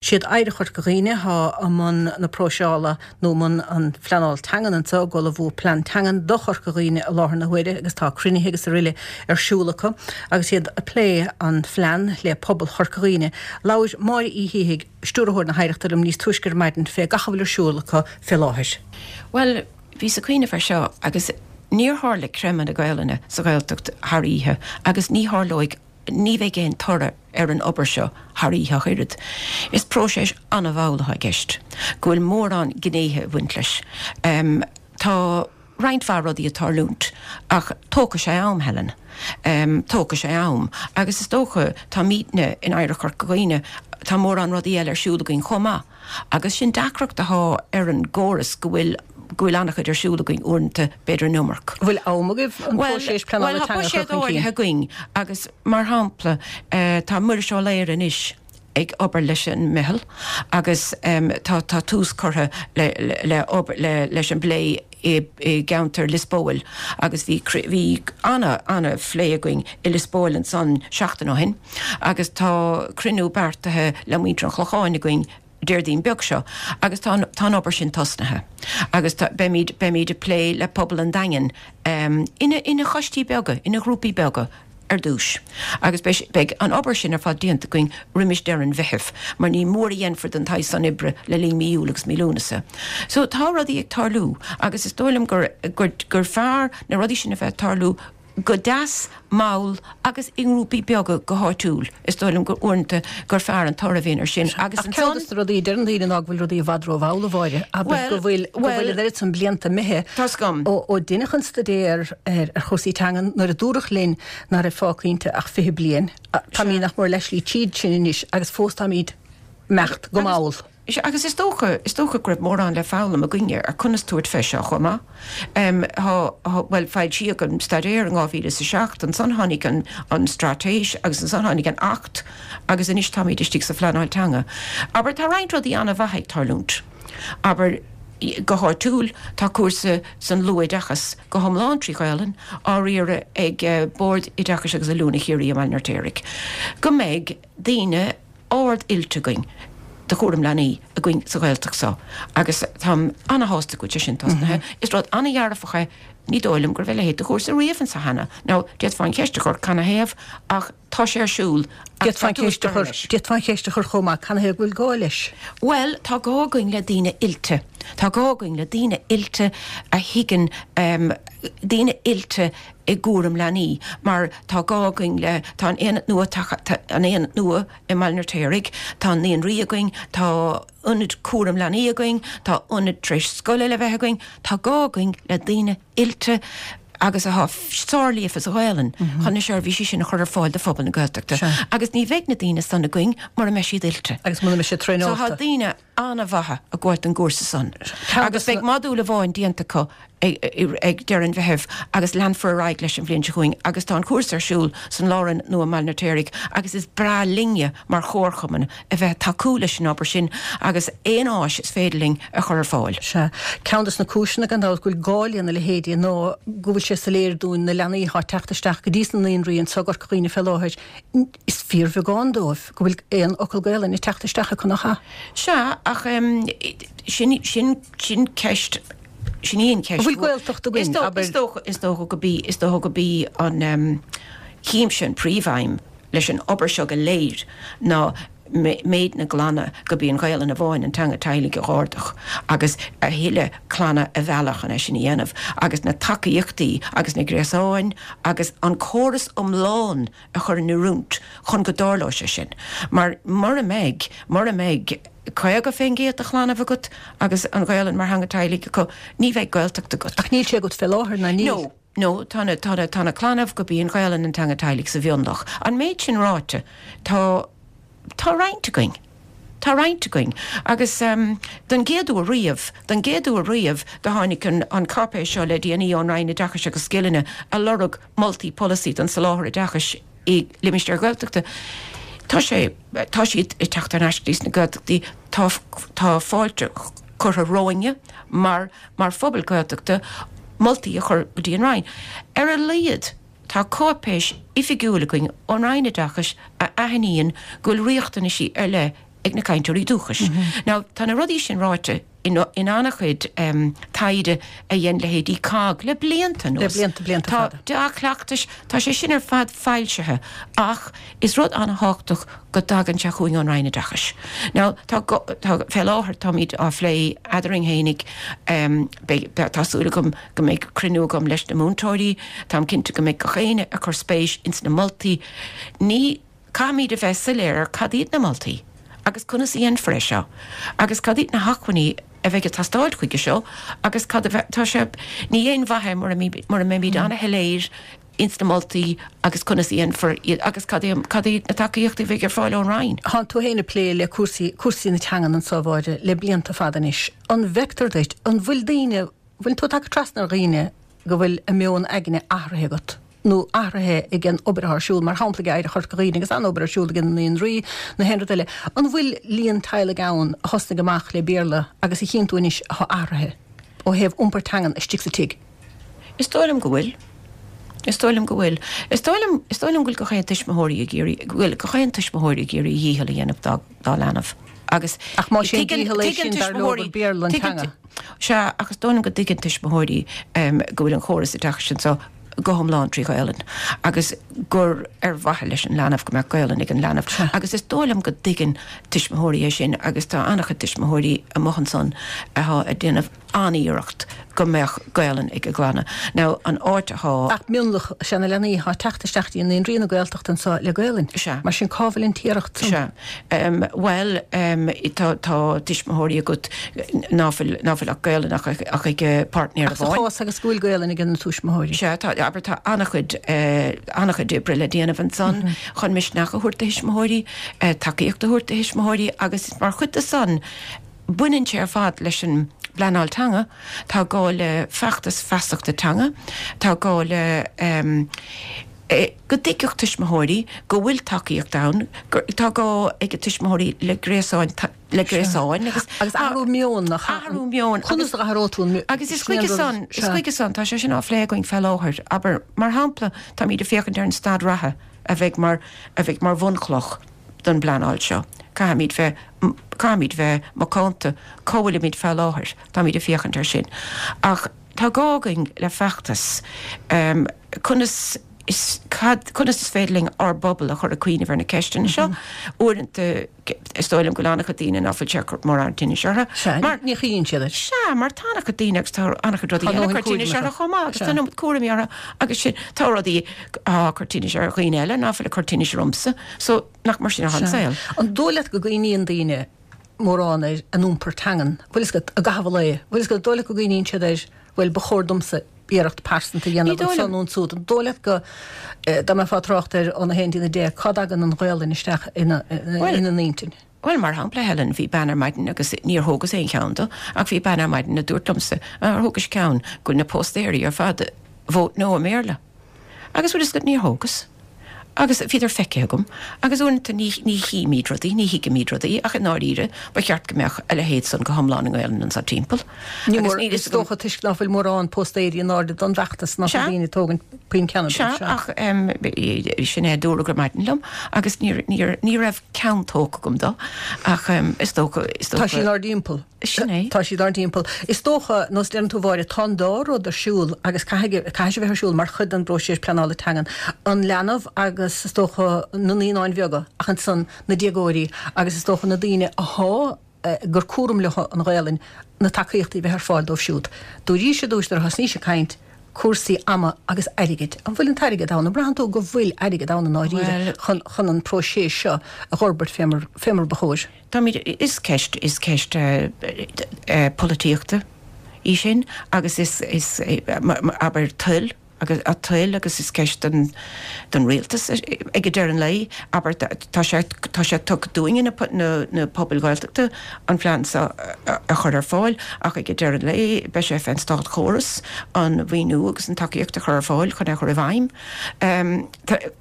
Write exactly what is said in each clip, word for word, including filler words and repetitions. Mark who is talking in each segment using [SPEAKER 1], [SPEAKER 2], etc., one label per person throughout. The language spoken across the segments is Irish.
[SPEAKER 1] Siad Oidhreacht Chorca Dhuibhne atá i mbun na próiseála nó i mbun an phleanáil teangan anseo, ag ullmhú plean teangan do Chorca Dhuibhne i láthair na huaire agus tá cruinnithe agus araile ar siúl acu agus iad ag plé an phlean le pobal Chorca Dhuibhne. Labhair Máire Uí Shíthigh, Stiúrthóir na hOidhreachta liom níos túisce ar maidin fé gach a bhfuil ar siúl acu fé láthair.
[SPEAKER 2] Bhuel, bhíos ag cuimhneamh air seo agus níor tharla creimeadh na Gaelainne sa Ghaeltacht thar oíche agus ní tharlóidh ní bheidh aon toradh ar an obair seo thar oíche ach oiread. Is próiseas an-mhall atá i gceist, go bhfuil mórán gnéithe ag baint leis. Tá roinnt mhaith rudaí ag tarlúint ach tógfaidh sé am, Helen. Tógfaidh sé am. Agus is dócha, táimidne in Oidhreacht Chorca Dhuibhne, tá mórán rudaí eile ar siúl againn chomh maith. Agus sin deacracht atá ar an gcóras, go bhfuil go bhfuil an-chuid ar siúl againn uaireanta, b'fhéidir an iomarca.
[SPEAKER 1] An bhfuil am agaibh an próiseas pleanála teanga a chur chun cinn?
[SPEAKER 2] Bhuel, tá buiséad áirithe againn agus, mar shampla, tá Muiris Ó Laoire anois ag obair leis an meitheal agus tá tá tús curtha le le obair le leis an bplé i i gceantar Lios Póil agus bhí bhí ana ana phlé againn i Lios Póil ansan seachtain ó shin agus tá cruinniú beartaithe le muintir an Chlocháin againn Déardaoin beag seo agus tá tá an obair sin tosnaithe agus tá beimid beimid ag plé le pobal an Daingin ina ina choistí beaga, ina ghrúpaí beaga ar dtús agus beidh beidh an obair sin ar fad déanta againn roimis deireadh an Mheithimh mar ní mór a dhéanfar den tsaghas san oibre le linn mí Iúil agus mí Lúnasa. So tá rudaí ag tarlú agus is dóigh liom gur gur gur fearr na rudaí sin a bheith ag tarlú go deas, mall agus i ngrúpaí beaga go háitiúil. Is dóigh liom gur uaireanta gur fearr an toradh a bhíonn ar sin agus
[SPEAKER 1] Ach ceann
[SPEAKER 2] ansan.
[SPEAKER 1] de na rudaí a deireann daoine ná go bhfuil rudaí i bhfad rómhall, a Mháire, abair go bhfuil go bhfuil an oiread san blianta imithe
[SPEAKER 2] Tá's agam.
[SPEAKER 1] ó ó deineadh an staidéar ar ar chúrsaí teangan nuair a dúradh linn nach raibh fágtha inti ach fiche bliain. Táimid nach mór leathshlí tríd sin anois agus fós táimid ag imeacht go mall.
[SPEAKER 2] Sea, agus is dócha, is dócha go raibh mórán le foghlaim againne ar conas tabhairt fé seo chomh maith. Tá, bhuel, foilsíodh an staidéar in dhá mhíle is a seacht, ansan tháinig an, an straitéis agus ansan tháinig an Acht agus anois táimid istigh sa phleanáil teanga. Abair, tá roinnt rudaí an-mhaith ag tarlúint. Abair, go háitiúil, tá cúrsa san luathoideachas go hiomlán trí Ghaelainn á riaradh ag Bord Oideachais agus Oiliúna Chiarraí i mBaile an Fheirtéaraigh. Go mbeidh daoine ard-oilte againn do chúram leanaí againn sa Ghaeltacht seo agus táim ana-shásta go bhfuil sé sin tosnaithe. Is rud ana-dhearfach é, ní dóigh liom go raibh a leithéid de chúrsa riamh anso cheana. Now, d'fhéadfá an cheist a chur canathaobh ach tá sé ar siúl agus
[SPEAKER 1] D'fhéadfá
[SPEAKER 2] tá
[SPEAKER 1] an
[SPEAKER 2] tús
[SPEAKER 1] cheist a
[SPEAKER 2] curtha
[SPEAKER 1] chur,
[SPEAKER 2] leis.
[SPEAKER 1] d'fhéadfá an cheist a chur chomh maith, canathaobh go bhfuil gá leis?
[SPEAKER 2] Bhuel, tá gá againn le daoine oilte. Tá gá againn le daoine oilte a thuigeann, daoine oilte i gcúram leanaí mar tá gá againn le, tá an aonad nua, tá an aonad nua i mBaile an Fheirtéaraigh, tá naíonraí againn, tá ionaid cúram leanaí againn, tá ionaid tar éis scoile le bheith againn, tá gá againn le daoine oilte agus atá sárlíofa sa Ghaelainn chun na seirbhísí sin a chur ar fáil do phobal na Gaeltachta agus ní bheidh na daoine san againn mura mbeidh siad oilte.
[SPEAKER 1] Agus muna mbeidh siad
[SPEAKER 2] So tá
[SPEAKER 1] traenáilte.
[SPEAKER 2] daoine an-mhaithe ag gabháilt don gcúrsa san
[SPEAKER 1] Ceann
[SPEAKER 2] agus
[SPEAKER 1] de
[SPEAKER 2] beidh modúl amháin déanta acu ag deireadh an Mheithimh agus leanfar ar aghaidh leis an bhliain seo chugainn agus tá an cúrsa ar siúl san Lárionad nua i mBaile an Fheirtéaraigh agus is breá linne mar chomharchumann a bheith ag tacú leis an obair sin agus aon áis is féidir linn a chur ar fáil.
[SPEAKER 1] Sea. Ceann de na cúiseanna gan dabht go bhfuil gá lena leithéidí ná go bhfuil sé soiléir dúinn na leanaí atá ag teacht isteach go dtí sna naíonraí anseo i gCorca Dhuibhne fé láthair, is fíorbheagán dóibh go bhfuil aon fhocal Gaelainne ag teacht isteach acu, nach ea?
[SPEAKER 2] Sea, ach sin, sin, sin ceist, sin í an cheist
[SPEAKER 1] An bhfuil
[SPEAKER 2] mhór.
[SPEAKER 1] Gaeltacht
[SPEAKER 2] Is
[SPEAKER 1] againn,
[SPEAKER 2] dó,
[SPEAKER 1] abair?
[SPEAKER 2] is dócha, is dócha go bí, is dócha go bí an, tchímse an príomhaidhm leis an obair seo go léir ná méid na gclanna go bí an Ghaelainn amháin an teanga teaghlaigh a dh'ardú agus a thuilleadh clanna a mhealladh chun é sin a dhéanamh agus na tacaíochtaí agus na gréasáin agus an córas iomlán a chur in oiriúint chun go dtarlóidh sé sin. Mar mura mbeidh, mura mbeidh caoga fén gcéad de chlannaibh agat agus an Ghaelainn mar theanga teaghlaigh acu, ní bheidh Gaeltacht agat.
[SPEAKER 1] Ach níl sé agat fé láthair, ná níl?
[SPEAKER 2] No, no, tá na, tá na, tá na clannaibh go bí an Ghaelainn an teanga teaghlaigh sa mhionlach. An méid sin ráite, tá, tá roinnt againn. Tá roinnt againn. Agus don gcéad uair riamh, don gcéad uair riamh, do tháinig an, an cáipéis seo le déanaí ón Roinn Oideachais agus Scileanna a lorg moltaí polasaí don soláthar oideachais i limistéir Ghaeltachta. Tá sé, tá siad ag teacht thar n-ais go dtí sna Gaeltachtaí, tá, tá fáilte curtha romhainne mar, mar phobal Gaeltachta moltaí a chur go dtí an Roinn. Ar a laghad, tá cáipéis oifigiúil againn ón Roinn Oideachais a aithníonn go bhfuil riachtanaisí ar leith ag na cainteoirí dúchais. Now, tá na rudaí sin ráite in, in an-chuid um, taighde a dhein leithéidí COGG le blianta
[SPEAKER 1] Le
[SPEAKER 2] anuas.
[SPEAKER 1] blianta, blianta
[SPEAKER 2] Tá
[SPEAKER 1] fada.
[SPEAKER 2] dea-chleachtais, tá sé sin ar fad foilsithe, ach is rud an-tábhachtach go dtagann sé chugainn ón Roinn Oideachais. Now, tá, go, tá fé láthair táimid á phlé eadrainn fhéinig, um, beidh- be- tá súil agam go mbeidh cruinniú agam leis na múinteoirí, Táim cinnte go mbeidh gach éinne ag cur spéis ins na moltaí. Ní caithfimid a bheith soiléir ar cad iad na moltaí, agus conas a dhéanfar é seo, agus cad iad na hacmhainní a bheidh ag teastáil chuige seo, agus cad a bheith tá sé ní aon mhaith mura mura mbeimid an-shoiléir ins na moltaí agus conas a dhéanfar iad agus cad é cad iad na tacaíochtaí a bheidh ar fáil ón Roinn.
[SPEAKER 1] Tá tú féin ag plé le cúrsaí cúrsaí na teangan anseo a Mháire le blianta fada anois. An bhfeictear duit, an bhfuil daoine, bhfuil tú tagtha trasna ar dhaoine go bhfuil a meon aigne athraithe agat? nó athraithe ag an obair ar siúl mar shampla ag Oidhreacht Chorca Dhuibhne agus an obair ar siúl ag na naíonraí na haon rud eile. An bhfuil líon teaghlaigh ann a thosnaigh amach le Béarla agus a chíonn tú anois atá athraithe ó thaobh iompar teangan istigh sa tigh.
[SPEAKER 2] Is dóigh liom go bhfuil. Is dóigh liom go bhfuil. Is dóigh liom is dóigh liom go bhfuil gach aon tuismitheoirí ag iarraidh go bhfuil gach aon tuismitheoirí ag iarraidh a dhícheall a dhéanamh dá dá leanbh. Agus
[SPEAKER 1] Ach má sé
[SPEAKER 2] tuigeann-
[SPEAKER 1] dícheall é
[SPEAKER 2] tuigeann
[SPEAKER 1] sin dar leo gur
[SPEAKER 2] tuismitheoirí-
[SPEAKER 1] Béarla an
[SPEAKER 2] tuigeann
[SPEAKER 1] teanga.
[SPEAKER 2] tu- Sea, agus is dóigh liom go dtuigeann tuismitheoirí um, go bhfuil an chóras oideachais anseo go hiomlán trí Ghaelainn agus gur ar mhaithe leis an leanbh go mbeadh Gaelainn ag an leanbh. Agus is dóigh liom go dtuigeann tuismitheoirí é sin agus tá an-chuid tuismitheoirí amuigh ansan atá ag déanamh an-iarracht go mbeadh Gaelainn ag a gclanna. Now an áit atá
[SPEAKER 1] Ach mionlach is ea na leanaí atá ag teacht isteach dtí na naíonraí na Gaeltachta anseo le Gaelainn.
[SPEAKER 2] Sea.
[SPEAKER 1] Mar sin cá bhfuil an t-iarracht san?
[SPEAKER 2] Sea. Um, well, um, tá, tá tuismitheoirí agat ná fuil ná fuil ach Gaelainn ach, ach ag eh, páirtnéir
[SPEAKER 1] Ach sa
[SPEAKER 2] amháin.
[SPEAKER 1] chás agus go bhfuil Gaelainn ag na tuismitheoirí.
[SPEAKER 2] Sea, tá abair tá an-chuid uh, an-chuid oibre le déanamh ansan mm -hmm. chun misneach a thabhairt do thuismitheoirí, uh, tacaíocht a thabhairt do thuismitheoirí agus mar chuid de san baineann sé ar fad leis an bpleanáil teanga, tá gá le feachtas feasachta teanga, tá gá le um, eh, go dtuigfeadh tuismitheoirí go bhfuil tacaíocht ann, gur- tá gá ag tuismitheoirí le gréasáin ta- le gréasáin agus
[SPEAKER 1] Agus athrú meoin nach
[SPEAKER 2] athrú meoin
[SPEAKER 1] Conas a athródh tú an
[SPEAKER 2] Agus is chuige san is chuige san tá sé sin á phlé againn fé láthair, aber mar shampla táimid ag féachaint ar an staid reatha a bheidh mar a bheidh mar bhunchloch don bpleanáil seo. Caithfimid bheith caithfimid bheith macánta cá bhfuilimid fé láthair, táimid ag féachaint ar sin. Ach tá gá againn le feachtas um, conas is cad conas is féidir linn ár bpobal a chur ag cuimhneamh ar na ceisteanna seo uaireanta is dóigh liom go bhfuil an-chuid daoine ná fuil sé mar an tinnis orthu.
[SPEAKER 1] Mar ní chuimhníonn siad air.
[SPEAKER 2] Sea, mar tá an-chuid daoine agus tá an-chuid rudaí
[SPEAKER 1] Tá
[SPEAKER 2] eile
[SPEAKER 1] dóthain
[SPEAKER 2] cur tinnis
[SPEAKER 1] cúraimí
[SPEAKER 2] orthu chomh maith, agus
[SPEAKER 1] Sea.
[SPEAKER 2] tá an cúraimí orthu agus sin tá rudaí á cur tinnis ar dhaoine eile ná fuil ag cur tinnis ormsa, so nach mar sin an saol.
[SPEAKER 1] An dóigh leat go gcuimhníonn daoine mórán ar an iompar teangan, bhfuil fhios agat a gcaitheamh lae, bhfuil fhios agat dóigh leat go gcuimhníonn siad air, bhuel ba chóir domsa iarracht pearsanta a dhéanamh
[SPEAKER 2] Ní dóigh
[SPEAKER 1] ansan
[SPEAKER 2] liom.
[SPEAKER 1] nó ansúd. An dóigh leat go eh, dá mbeifeá ag trácht ar ón a haon dtí a deich, cá dtagann an Ghaelainn isteach ina
[SPEAKER 2] Well,
[SPEAKER 1] ina n-intinn.
[SPEAKER 2] Well mar shampla Helen bhí bean ar maidin agus níor thógas aon cheann de ach bhí bean ar maidin a dúirt liomsa ar thógais ceann go na póstaeirí ar fad vote no i mBéarla. Agus bhfuil fhios agat níor thógas. Agus bhíodar feicthe agam, agus uaireanta ní ní chímid rudaí, ní thuigimid rudaí ach i ndáiríre ba cheart go mbeadh a leithéid san go hiomlán i nGaelainn ansa timpeall.
[SPEAKER 1] Ní
[SPEAKER 2] Agus
[SPEAKER 1] mór
[SPEAKER 2] níl
[SPEAKER 1] is
[SPEAKER 2] fhios agam-
[SPEAKER 1] dócha toisc ná fuil mórán póstaeirí in airde don bhfeachtas ná
[SPEAKER 2] Sea.
[SPEAKER 1] daoine tógann puinn ceann
[SPEAKER 2] Sea, ach um, sin é dúradh ar maidin liom, agus ní, ní, ní raibh ceann tógtha agam dó ach um, is dócha is
[SPEAKER 1] Tá
[SPEAKER 2] dócha
[SPEAKER 1] sí ár dtimpeall.
[SPEAKER 2] Sin é.
[SPEAKER 1] Tá siad ár dtimpeall. Is dócha nós deireann tú a Mháire tá an dá rud ar siúl agus caithfidh caithfidh sé bheith ar siúl mar chuid den bpróiseas pleanála teangan. An leanbh agus is dócha na naíonáin bheaga ach ansan na déagóirí agus is dócha na daoine atá eh, gur cúram leo an Ghaelainn na tacaíochtaí bheith ar fáil dóibh siúd. Dúirt dúis ar thosnaís ag caint cúrsaí ama agus airgid. An bhfuil an t-airgead ann, an mbraitheann tú go bhfuil airgead ann i ndáiríre
[SPEAKER 2] Well-
[SPEAKER 1] chun chun an próiseas seo a fhorbairt fé mar fé mar ba chóir.
[SPEAKER 2] Táimid is ceist is ceist uh, uh, polaitíochta í sin agus is is eh, ma- ma- abair toil agus a toil agus is ceist den den rialtas ag an deireadh an lae abair tá sé tá sé tugtha dúinne na na na pobail Ghaeltachta an plean seo a a chur ar fáil ach ag an deireadh an lae beidh sé fén státchóras an mhaoiniú agus an tacaíocht a chur ar fáil chun é chur i bhfeidhm. Um,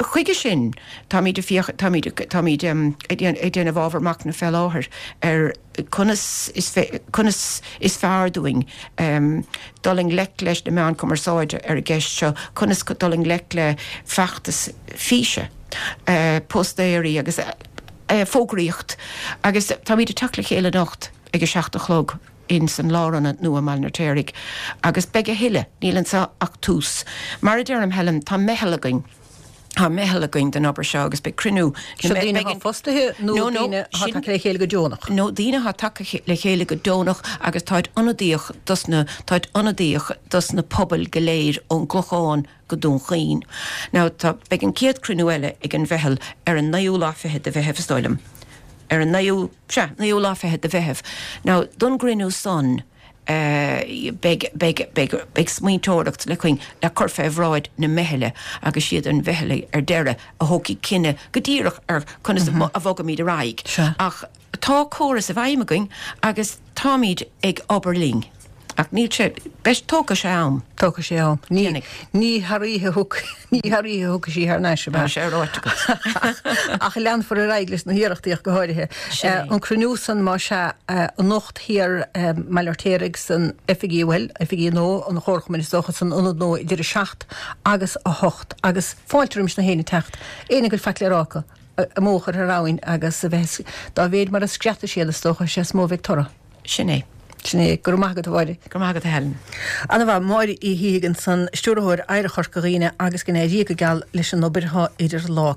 [SPEAKER 2] chuige sin táimid fiach táimid táimid um, ag déanamh ábhar machnaimh fé láthair ar conas is conas is fearr dúinn um, dul i ngleic leis na meáin cumarsáide ar an gceist seo conas dul i ngleic le feachtas físe uh, póstaeirí agus Fógraíocht agus táimid ag teacht le chéile anocht ag a seacht a chlog in san lárionad nua i mBaile an Fheirtéaraigh agus beidh a thuilleadh, níl anseo ach tús. Mar a deirim Helen, tá meitheal againn, tá meitheal againn don obair seo agus beidh cruinniú.
[SPEAKER 1] Seo daoine atá fostaithe nó daoine atá tagtha le chéile go deonach?
[SPEAKER 2] No, daoine atá tagtha le chéile go deonach agus táid ionadaíoch dos na, táid ionadaíoch dos na pobail go léir ón gClochán go Dún Chaoin. Now tá, beidh an chéad cruinniú eile ag an mheitheal ar an naoú lá fichead de Mheitheamh is dóigh liom. Ar an naoú, sea, naoú lá fichead de Mheitheamh. Now don gcruinniú san eh, beidh, beidh, beidh, beidh smaointeoireacht le cuing, le cur fé bhráid na meithle agus siad an mheitheal ar deireadh a thógfaidh cinneadh go díreach ar conas a bhogaimid ar aghaidh.
[SPEAKER 1] Sea.
[SPEAKER 2] Ach tá córas i bhfeidhm againn agus táimid ag obair linn. Ach níl sé, beidh, tógfaidh sé am.
[SPEAKER 1] Tógfaidh sé am. Ní,
[SPEAKER 2] Déanfaidh.
[SPEAKER 1] ní thar oíche a thug, ní thar oíche a thiocfaidh sí thar n-ais, ab ea?
[SPEAKER 2] Tá sé ráite agat.
[SPEAKER 1] Ach leanfar ar aghaidh leis na hiarrachtaí ach go háirithe.
[SPEAKER 2] Sin é.
[SPEAKER 1] An cruinniú san más ea anocht thiar i mBaile an Fheirtéaraigh san oifigí, bhuel, oifigí nua an Chomharchumainn is dócha san ionad nua idir a seacht agus a hocht agus fáilte roimis na héinne teacht, éinne go bhfuil faic le rá acu, a mbó a chur thar abhainn agus a bheith, dá mhéid mar a screadfaidh siad is dócha, is ea is mó a bheidh toradh.
[SPEAKER 2] Sin é.
[SPEAKER 1] Sin é. Go raibh maith agat, a Mháire.
[SPEAKER 2] Go raibh maith agat, a Helen.
[SPEAKER 1] Ana mhaith. Máire Uí Shíthigh ansan, Stiúrthóir Oidhreacht Chorca Dhuibhne agus go n-éirí go geal leis an obair atá idir lámha.